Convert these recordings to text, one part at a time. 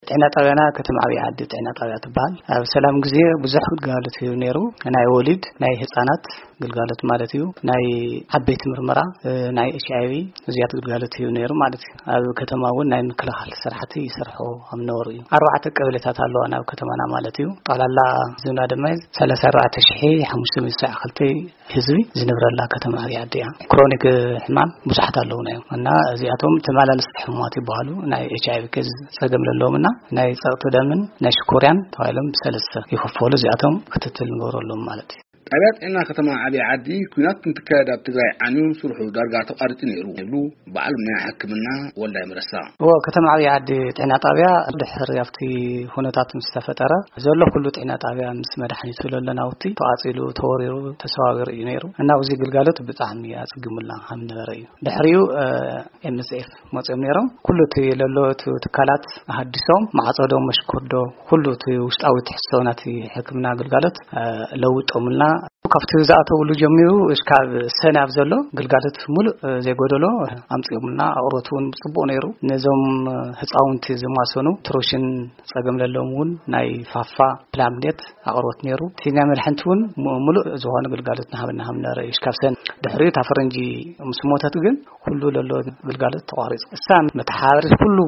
ጥዕና ጣብያና ከተማ ዓብዪ ዓዲ ጥዕና ጣብያ ትበሃል። ኣብ ሰላም ግዜ ብዙሕ ግልጋሎት እዩ ነይሩ። ናይ ወሊድ፣ ናይ ህፃናት ግልጋሎት ማለት እዩ። ናይ ዓበይቲ ምርመራ፣ ናይ ኤች ኣይ ቪ እዚያት ግልጋሎት እዩ ነይሩ ማለት እዩ። ኣብ ከተማ እውን ናይ ምክልኻል ስራሕቲ ይሰርሑ ከም ነበሩ እዩ። ኣርባዕተ ቀበሌታት ኣለዋ ናብ ከተማና ማለት እዩ። ጠቕላላ ህዝብና ድማ ሰላሳ ኣርባዕተ ሽሕ ሓሙሽተ ሚእቲ ሰብዓ ክልተ ህዝቢ ዝነብረላ ከተማ ዓብዪ ዓዲ እያ። ክሮኒክ ሕማም ብዙሓት ኣለውና እዮም እና እዚኣቶም ተመላለስቲ ሕሙማት ይበሃሉ። ናይ ኤች ኣይ ቪ ኬዝ ጸገም ዘለዎም እና ናይ ጸቕጢ ደምን ናይ ሽኮርያን ተባሂሎም ብሰለስተ ይኽፈሉ። እዚኣቶም ክትትል ንገብረሎም ማለት እዩ። ጣብያ ጥዕና ከተማ ዓብዪ ዓዲ፣ ኲናት እንትካየድ ኣብ ትግራይ ዓንዩ ስርሑ ዳርጋ ተቋሪጹ ነይሩ ይብሉ በዓል ሞያ ሕክምና ወልዳይ መረሳ። እዎ፣ ከተማ ዓብዪ ዓዲ ጥዕና ጣብያ ድሕሪ ኣብቲ ኩነታት ምስ ተፈጠረ ዘሎ ኩሉ ጥዕና ጣብያ ምስ መድሓኒቱ ለለ ናውቲ ተቓጺሉ፣ ተወሪሩ፣ ተሰባቢሩ እዩ ነይሩ እና ኣብዚ ግልጋሎት ብጣዕሚ ኣጸጊሙልና ከም ነበረ እዩ። ድሕሪኡ ኤም ኤስ ኤፍ መፅኦም ነይሮም። ኩሉ እቲ ለሎ እቲ ትካላት ኣሃዲሶም፣ ማዕፀዶ፣ መሽኮዶ፣ ኩሉ እቲ ውሽጣዊ ትሕዝቶ ናቲ ሕክምና ግልጋሎት ለውጦምልና። ካብቲ ዝኣተውሉ ጀሚሩ እስካብ ሰነ ኣብ ዘሎ ግልጋሎት ሙሉእ ዘይጎደሎ ኣምፅኦምልና። ኣቕርቦት እውን ፅቡቕ ነይሩ። ነዞም ህፃውንቲ ዝማሰኑ ትሮሽን ፀገም ለለዎም እውን ናይ ፋፋ ፕላምሌት ኣቕርቦት ነይሩ። እቲ ናይ መድሓንቲ እውን ሙሉእ ዝኾነ ግልጋሎት ናሃበና ሃምና ረእዩ እስካብ ሰነ። ድሕሪኡ እታ ፈረንጂ ምስ ሞተት ግን ኩሉ ለሎ ግልጋሎት ተቋሪጹ። እሳ መተሓባበሪት ኩሉ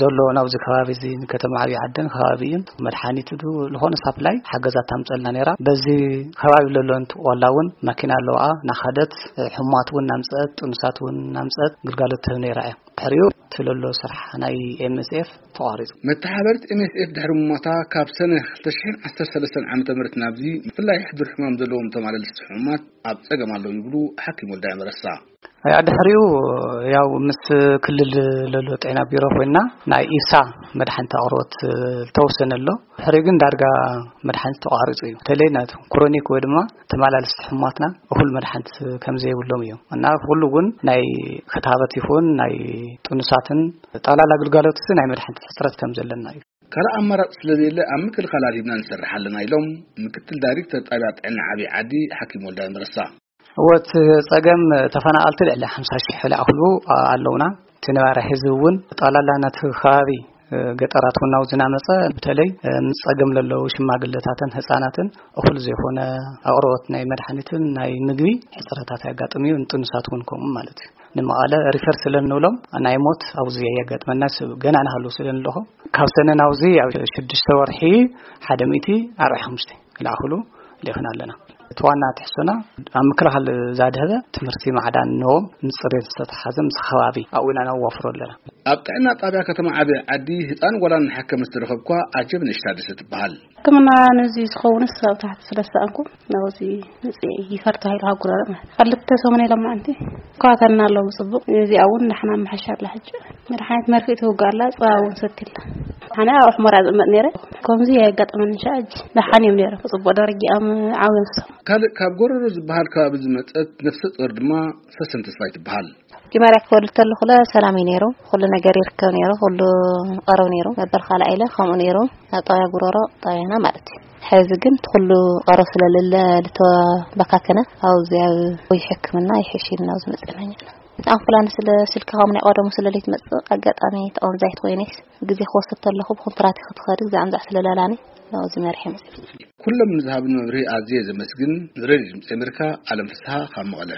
ዘሎ ናብዚ ከባቢ እዚ ንከተማ ዓብዪ ዓደን ከባቢ እዩን መድሓኒት ዱ ዝኾነ ሳፕላይ ሓገዛት ታምፀልና ነይራ። በዚ ከባቢ ለሎ እንት ዋላ እውን ማኪና ኣለዋ ናኸደት ሕሙማት እውን ናምፀት ጥኑሳት እውን ናምፀት ግልጋሎት ትህብ ነይራ እያ። ድሕሪኡ እቲ ለሎ ስራሕ ናይ ኤም ኤስ ኤፍ ተቋሪጹ። መተሓባበሪት ኤም ኤስ ኤፍ ድሕሪ ምሞታ ካብ ሰነ ክልተ ሽሕን ዓሰርተ ሰለስተን ዓመተ ምህረት ናብዚ ብፍላይ ሕዱር ሕማም ዘለዎም ተማለልስቲ ሕሙማት ኣብ ጸገም ኣለዉ ይብሉ ሓኪም ወልዳይ መረሳ። ያ ድሕሪኡ ያው ምስ ክልል ለሎ ጤና ቢሮ ኮይና ናይ ኢሳ መድሓኒት ኣቕርቦት ዝተወሰነ ኣሎ። ድሕሪኡ ግን ዳርጋ መድሓኒት ተቋሪጹ እዩ። በተለይ ናይ ክሮኒክ ወይ ድማ ተመላለስቲ ሕሙማትና እኹል መድሓኒት ከም ዘይብሎም እዩ። እና ኩሉ እውን ናይ ክታበት ይኹን ናይ ጥኑሳትን ጠቕላላ ግልጋሎት ናይ መድሓኒት ሕጽረት ከም ዘለና እዩ። ካልእ ኣማራጺ ስለዘየለ ኣብ ምክልኻል ኣድሂብና ንሰርሕ ኣለና ኢሎም ምክትል ዳይሬክተር ጣብያ ጥዕና ዓብዪ ዓዲ ሓኪም ወልዳይ መረሳ። እወ፣ እቲ ጸገም ተፈናቐልቲ ልዕሊ ሓምሳ ሽሕ ዝኣኽሉ ኣለውና። እቲ ነባሪ ህዝቢ እውን ጠቕላላ ነቲ ከባቢ ገጠራት እውን ናብዚ እናመጸ በተለይ ምስ ጸገም ለለዉ ሽማግለታትን ህጻናትን እኹል ዘይኮነ ኣቕርቦት ናይ መድሓኒትን ናይ ምግቢ ሕጽረታት የጋጥም እዩ። ንጥኑሳት እውን ከምኡ ማለት እዩ። ንመቐለ ሪፈር ስለ እንብሎም ናይ ሞት ኣብዚ የጋጥመና ሰብ ገና ንሃሉ ስለ ንለኹ ካብ ሰነ ናብዚ ኣብ ሽዱሽተ ወርሒ ሓደ ሚእቲ ኣርባዕተ ሓሙሽተ ክልኣኽሉ ልኢኽና ኣለና። እቲ ዋና ትሕዝቶና ኣብ ምክልኻል ዛድህበ ትምህርቲ ማዕዳን ንዎም ምስ ጽሬት ዝተተሓዘ ምስ ከባቢ ኣብኡ ኢና ነዋፍሮ ኣለና። ኣብ ጥዕና ጣብያ ከተማ ዓብዪ ዓዲ ህፃን ጓላን እናሓከመ ዝተረኸብኳ ኣጀብ ንሽታ ደሰ ትበሃል። ሕክምና ነዚ ዝኸውንስ ኣብ ታሕቲ ስለ ዝሰኣንኩ ናብዚ ምፅእ ይፈር ተባሂሉ ካብ ጉረረ ማለት ክልተ ሰሙን ኢሎም ማዓንቲ ከዋተና ኣለዉ። ብፅቡቅ እዚኣ እውን ንሕና መሓሻ ኣላ ሕጂ መድሓኒት መርፍእ ትውጋእ ኣላ። ፀባ እውን ሰትላ ሓነ ኣብ ሕሞራ ዝእመጥ ነይረ ከምዚ የጋጠመኒ ሻ እጂ ደሓን እዮም ነይሮም ብፅቡቅ ደረጃኦም ዓብዮም ሰው ካልእ ካብ ጎረሮ ዝበሃል ከባቢ ዝመፀት ነፍሰ ጡር ድማ ሰሰን ተስፋይ ትበሃል። ጅማርያ ክወልድ ተለኹለ ሰላም እዩ ነይሩ። ኩሉ ነገር ይርከብ ነይሩ። ኩሉ ቀረብ ነይሩ። መበል ካልኣ ኢለ ከምኡ ነይሩ። ኣብ ጣብያ ጉረሮ ጣብያና ማለት እዩ። ሕዚ ግን እቲ ኩሉ ቀረብ ስለለለ ልተበካከነ ኣብዚ ኣብ ወይ ሕክምና ይሕሽ ኢልና ኣብዚ መፅእና ኢና። እቲ ኣምቡላንስ ስለ ስልኪ ከም ናይ ቀደሙ ስለ ለይትመፅእ ኣጋጣሚ ተቐንዛይት ኮይነስ ግዜ ክወስድ ተለኹ ብኮንትራት ክትኸድ ግዜ ኣምዛዕ ስለለላኒ ናብዚ መርሒ መፅእ። ኩሎም ንዝሃብን መብርሂ ኣዝየ ዘመስግን። ንሬድዮ ድምፂ ኣሜሪካ ኣለም ፍስሃ ካብ መቐለ።